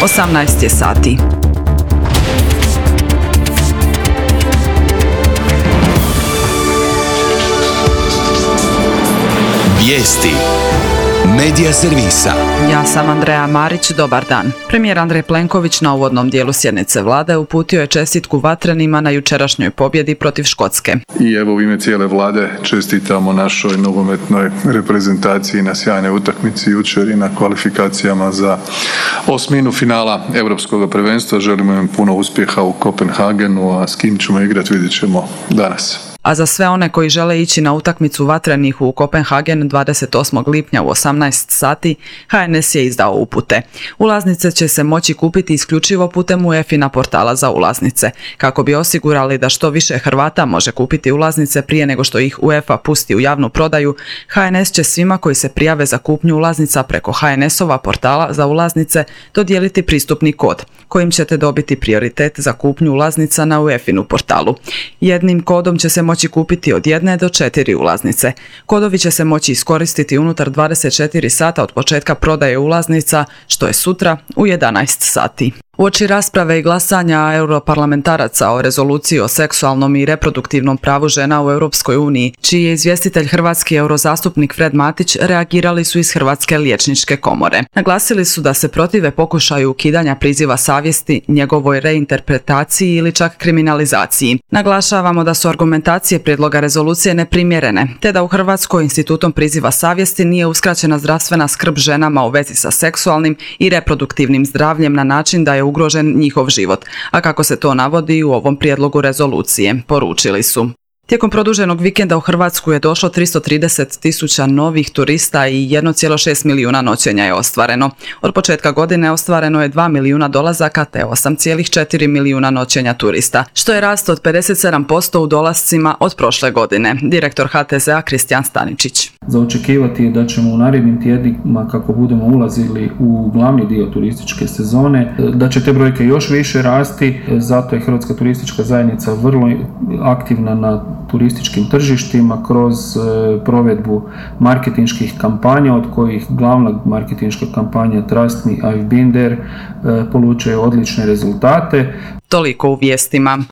18 je sati. Vijesti Medija servisa. Ja sam Andreja Marić, dobar dan. Premijer Andrej Plenković na uvodnom dijelu sjednice vlade uputio je čestitku Vatrenima na jučerašnjoj pobjedi protiv Škotske. I evo u ime cijele vlade čestitamo našoj nogometnoj reprezentaciji na sjajnoj utakmici jučer i na kvalifikacijama za osminu finala Europskog prvenstva. Želimo im puno uspjeha u Kopenhagenu, a s kim ćemo igrati vidjet ćemo danas. A za sve one koji žele ići na utakmicu Vatrenih u Kopenhagen 28. lipnja u 18 sati, HNS je izdao upute. Ulaznice će se moći kupiti isključivo putem UEFA portala za ulaznice. Kako bi osigurali da što više Hrvata može kupiti ulaznice prije nego što ih UEFA pusti u javnu prodaju, HNS će svima koji se prijave za kupnju ulaznica preko HNS-ova portala za ulaznice dodijeliti pristupni kod, kojim ćete dobiti prioritet za kupnju ulaznica na UEFA-inu portalu. Jednim kodom će se moći kupiti od 1 do 4 ulaznice. Kodovi će se moći iskoristiti unutar 24 sata od početka prodaje ulaznica, što je sutra u 11 sati. Uoči rasprave i glasanja europarlamentaraca o rezoluciji o seksualnom i reproduktivnom pravu žena u Europskoj uniji, čiji je izvjestitelj hrvatski eurozastupnik Fred Matić, reagirali su iz Hrvatske liječničke komore. Naglasili su da se protive pokušaju ukidanja priziva savjesti, njegovoj reinterpretaciji ili čak kriminalizaciji. Naglašavamo da su argumentacije prijedloga rezolucije neprimjerene, te da u Hrvatskoj institutom priziva savjesti nije uskraćena zdravstvena skrb ženama u vezi sa seksualnim i reproduktivnim zdravljem na način da je ugrožen njihov život, a kako se to navodi u ovom prijedlogu rezolucije, poručili su. Tijekom produženog vikenda u Hrvatsku je došlo 330.000 novih turista i 1,6 milijuna noćenja je ostvareno. Od početka godine ostvareno je 2 milijuna dolazaka te 8,4 milijuna noćenja turista, što je rast od 57% u dolascima od prošle godine. Direktor HTZ-a Kristijan Staničić. Za očekivati je da ćemo u narednim tjednima, kako budemo ulazili u glavni dio turističke sezone, da će te brojke još više rasti, zato je Hrvatska turistička zajednica vrlo aktivna na turističkim tržištima kroz provedbu marketinških kampanja, od kojih glavna marketinška kampanja Trust Me, I've Been There polučuje odlične rezultate. Toliko u vijestima.